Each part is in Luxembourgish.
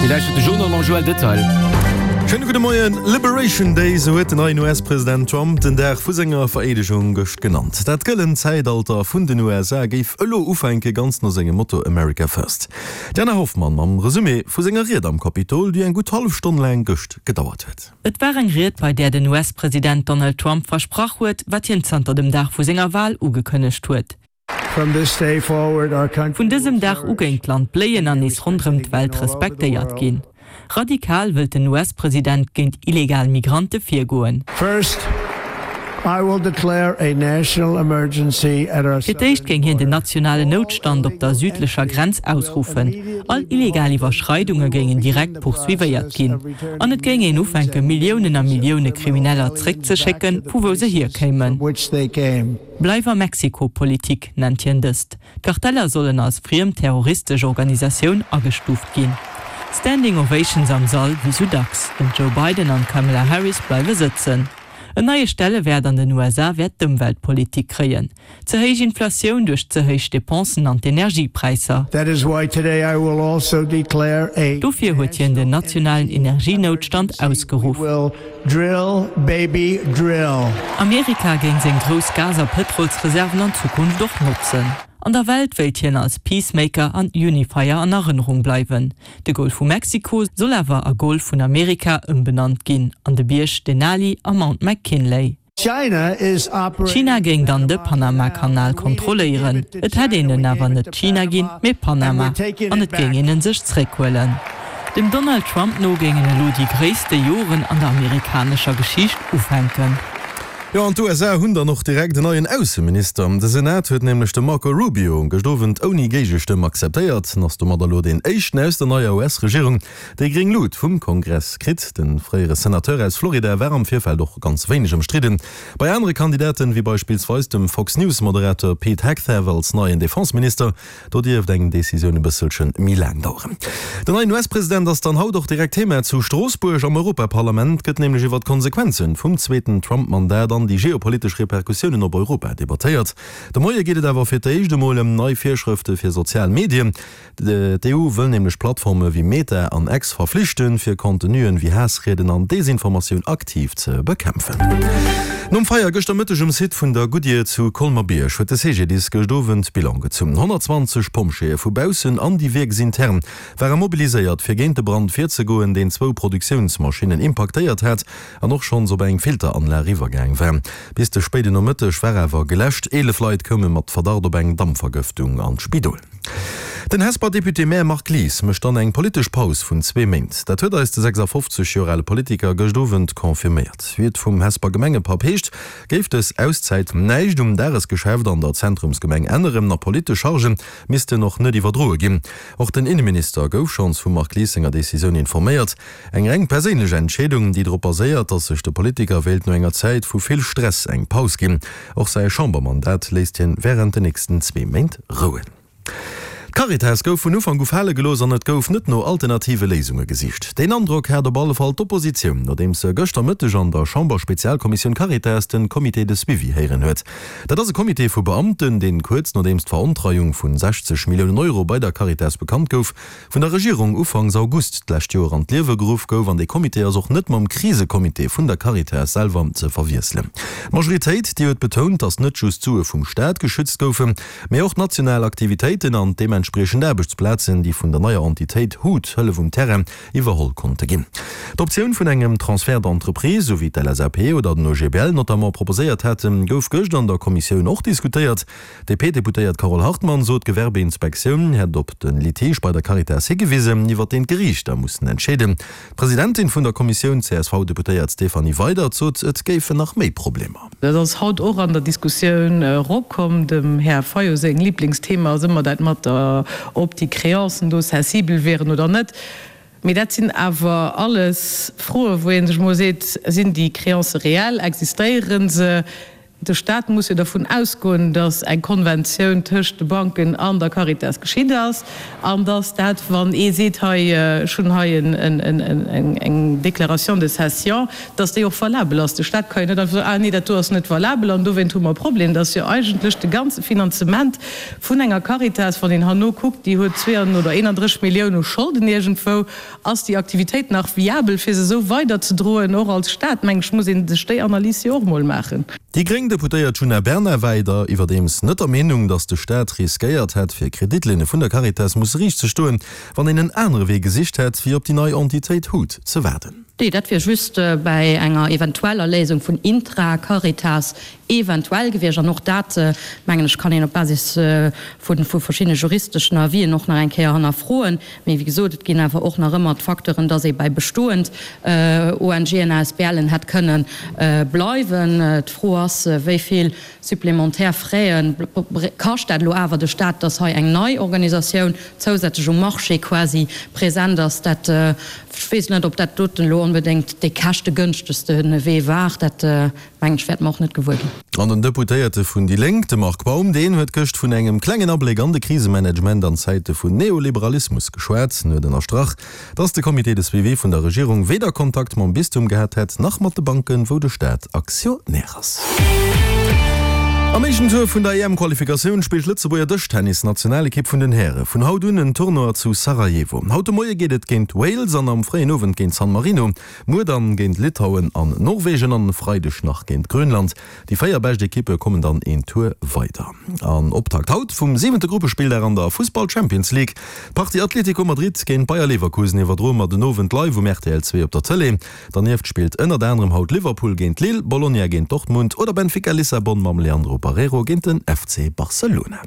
Dir lauschtert de Journal mam Joël Detail. Schéine gudde Moien. Liberation Day, sou huet den neien US-President Trump den Dag vu senger Vereedegung gëscht genannt. Dat gëllent Zäitalter vun den USA géif elo ufänke, ganz no sengem Motto America First. D'Jana Hoffmann mam Resumé vu senger Ried am Kapitol, déi eng gutt hallef Stonn laang gëscht gedauert huet. Et war eng Ried, bei där den US-President Donald Trump versprach huet, wat hien zanter dem Dag vu senger Wal ugekënnegt huet. Vun dësem Dag u géing d'Land bléien an nees ronderëm d'Welt respektéiert ginn. Radikal wëllt den US-President géint illegal Migrante virgoen. Fir d'éischt géing hien den nationalen Noutstand op der südlecher Grenz ausruffen. All illegal Iwwerschreidunge géingen direkt poursuivéiert ginn. An et géing een ufänke Milliounen a Millioune Krimineller zréckzeschécken, vu wou se hierkéimen. Bleif a Mexiko-Politik nennt hien dëst. D'Karteller sollen als friem terroristesch Organisatioun agestuuft ginn. Standing Ovations am Sall wéi sou dacks. Den Joe Biden an d'Kamala Harris bleiwe sëtzen. En neie Stellewäert an den USA wäert d'Ëmweltpolitik kréien. Ze héich Inflatioun duerch ze héich Depensen an d'Energiepräisser. Dofir huet hien den nationalen Energienoutstand ausgeruff. Drill, baby, drill! Amerika géing seng grouss Gas a Pëtrolsreserven an Zukunft och notzen. An der Welt wéilt hien als Peacemaker an Unifier an Erënnerung bleiwen. De Golf vu Mexiko soll awer a Golf vun Amerika ëmbenannt ginn an de Bierg Denali a Mount McKinley. China géing dann de Panama-Kanal kontrolléieren. Et hätt een en awer net China ginn, mee Panama, an et géing een en sech zréckhuelen. Dem Donald Trump no géingen elo déi gréisste Joren an der amerikanescher Geschicht ufänken. Jo, an d'USA hunn dann och direkt en neien Ausseminister. De Senat huet nämlech de Marco Rubio gëscht Owend ouni Géigestëmm akzeptéiert. En ass domat elo deen éischten aus der neier US-Regierung, Déi gréng Lut vum Kongress kritt. De fréiere Senateur aus Florida war am Virfeld och ganz wéineg ëmstridden. Bei anere Kandidaten, wéi beispillsweis dem Fox News Moderator Pete Hegseth als neien Defenseminister, do dierft eng Decisioun e bësselche méi laang daueren. Den neien US-President ass dann haut och direkt Thema zu Stroossbuerg. Am Europaparlament gëtt nämlech iwwer d'Konsequenze vum zweeten Trump-Mandat an déi geopolitesch Repercussiounen op Europa debattéiert. De Moie geet et awer fir d'éischt emol ëm nei Virschrëfte fir sozial Medien. D'EU wëll nämlech Plattforme wéi Meta an X verflichten, fir Contenuen wéi Haassrieden an Desinformatioun aktiv ze bekämpfen. Nom Feier gëschter Mëtteg um Site vun der Goodyear zu Colmer-Bierg huet de CGDIS gëscht Owend Bilan gezunn. 120 Pompjeeë vu baussen an déi wierksintern ware mobiliséiert, fir géint de Brand virzegoen, deen zwou Produktiounsmaschinnen impaktéiert hat an och schonns op eng Filteranlag iwwergaang war. Bis de spéiden Nomëtteg war awer geläscht. 11 Leit koume mat Verdacht op eng Dampvergëftung an d'Spidol. Den Hesper Député-Maire Marc Lies mécht dann eng politesch Paus vun zwee Méint. Dat huet eis de 56 Joer ale Politiker gëscht Owend confirméiert. Wéi et vum Hesper Gemengepapp heescht, géif dës Auszäit näischt um Dagesgeschäft an der Zentrumsgemeng änneren a politesch Chargen missten och net iwwerdroe ginn. Och den Inneminister gouf schonns vum Marc Lies senger Decisioun informéiert. Eng reng perséinlech Entscheedung, déi drop baséiert, datt sech de Politiker wéilt no enger Zäit vu vill Stress eng Paus ginn. Och säi Chambermandat léisst hien wärend den nächsten zwee Méint rouen. D'Caritas gouf vun Ufank u fale gelooss an et gouf net no alternative Léisunge gesicht. Deen Androck hat op alle Fall d'Oppositioun, nodeems se gëschter Mëtteg an der Chamberspezialkommissioun Caritas den Comité de suivi héieren huet. Dat ass e Comité vu Beamten, deen kuerz nodeems d'Verontreiung vun 60 Milliounen Euro bei der Caritas bekannt gouf, vun der Regierung ufanks August d'lescht Joer an d'Liewe geruff gouf an dee Comité ass och net mam Krisecomité vun der Caritas selwer ze verwiesselen. D'Majoritéit, déi huet betount, datt net just d'Sue vum Staat geschützt goufen, mee och d'national Aktivitéiten an d'deementspriechend Aarbechtsplazen, déi vun der neier Entitéit hut, Hëllef um Terrain, iwwerholl konnte ginn. D'Optioun vun engem Transfert d'entreprise, esou wéi d'LSAP oder den OGBL notamment proposéiert haten, gouf gëscht an der Kommissioun och diskutéiert. D'DP-Deputéiert Carole Hartmann sot, d'Gewerbeinspektioun hätt op de Litige bei der Caritas higewisen, iwwer deen d'Geriichter mussen entscheeden. D'Presidentin vun der Kommissioun, d'CSV-Deputéiert Stéphanie Weydert, sot, et géifen nach méi Problemer. Dat ass haut och an der Diskussioun eropkomm. Dem Här Fayot seng Liblingsthema ass ëmmer dat mat der, ob déi Créancen do cessible wieren oder net. Mee dat sinn awer alles Froen, wou ee sech emol seet, Sinn déi Créancë reell? Existéiere se? De Staat muss jo dervun ausgoen, datt eng Konventioun tëscht de Banken an der Caritas geschitt ass an datt dat, wann ee seet, hei, ech hunn hei eng Déclaration de cession, datt déi och valabel ass. De Staat ka jo net einfach soen, ah nee, dat do ass net valabel an dowéint hu mer e Problem. Dat ass jo eigentlech de ganze Finanzement vun enger Caritas, wann een herno kuckt, déi huet 32 oder 31 Millioune u Scholden iergendwou. Ass déi Aktivitéit nach viabel, fir se esou weiderzedroen? Och als Staat, meng ech, muss ee sech déi Analys jo och mol maachen. Déi gréng Deputéiert Djuna Bernard war iwwer iwwerdeems net der Meenung, datt de Staat riskéiert hätt, fir Kreditlinne vun der Caritas musse riicht ze stoen, wann een en anere Wee gesicht hätt, wéi op déi nei Entitéit hut ze waarden. Nee, dat wier just bäi enger eventueller Léisung vun Intra-Caritas eventuell gewiescht. An och dat, mengen ech, kann een op Basis vu verschiddene juristeschen Avisen och nach eng Kéier hannerfroen. Mee wéi gesot, et ginn awer och nach ëmmer d'Facteuren, dass ee bei bestoend ONGen, ASBLen hätt kënne bleiwen. D'Fro ass, wéi vill supplémentaire Fraie kascht dat elo awer de Stat, dass hei eng nei Organisatioun zousätzlech um Marché quasi present ass. Dat, ech weess net, ob dat doten elo onbedéngt dee käschtegënschtegste Wee war. Dat Mengen ech, wäerte mer och net gewuer ginn. An den Deputéierte vun déi Lénk, de Marc Baum, deen huet gëscht vun engem klengen Abléck an de Krisemanagement an Zäite vun Neoliberalismus geschwat. En huet ënnerstrach, datt de Comité de suivi vun der Regierung weder Kontakt mam Bistum gehat hätt, nach mat de Banken, wou de Staat Aktionär ass. Am éischten Tour vun der EM-Qualifikatioun spillt d'Lëtzebuerger Dëschtennis-Nationalekipp vun den Häre vun haut un en Tournoi zu Sarajevo. Haut de Moie geet et géint Wales an am fréien Owend géint San Marino. Muer dann géint Litauen an Norwegen an e Freideg nach géint Grönland. Déi 4 bescht Ekippe kommen dann een Tour weider. An Optakt haut vum siwente Gruppespilldag an der Fussball Champions League. D'Partie Atlético Madrid géint Bayer Leverkusen iwwerdroe mer den Owend live um rtl 2 op der Tëlee. Dernieft spillt ënnert anerem haut Liverpool géint Lille, Bologna géint Dortmund oder Benfica Lissabon mam Leandro Barreiro géint den FC Barcelona.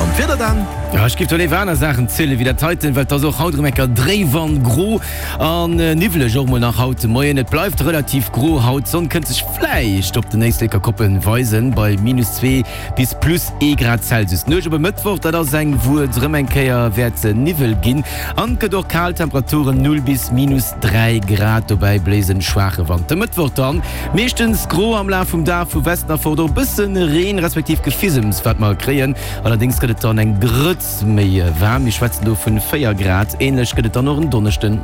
An d'Wieder dann? Jo, ech giff do léiwer aner Saachen zielen wéi dat heiten, well et ass och haut erëm eng Kéier dréif an gro an niwweleg och mol nach haut de Moien. Et bleift relativ gro haut, d'Sonn kënnt sech vläicht op den Éisleker Koppen weisen bei minus 2 bis plus ee Grad Celsius. D'Nuecht op e Mëttwoch, dat ass eng wou et erëm eng Kéier wäert Niwwel ginn an et gëtt och kal, Temperaturen 0 bis minus 3 Grad, dobäi bléist en schwaache Wand. De Mëttwoch dann meeschtens gro, am Laf vum Dag vu Westen erfort och e bëssen Reen respektiv Gefisems wat mer kréien. Allerdéngs gëtt et dann eng Grëtz méi waarm, mir schwätzen do vun 4 Grad. Ähnlech gëtt et dann och en Donneschden.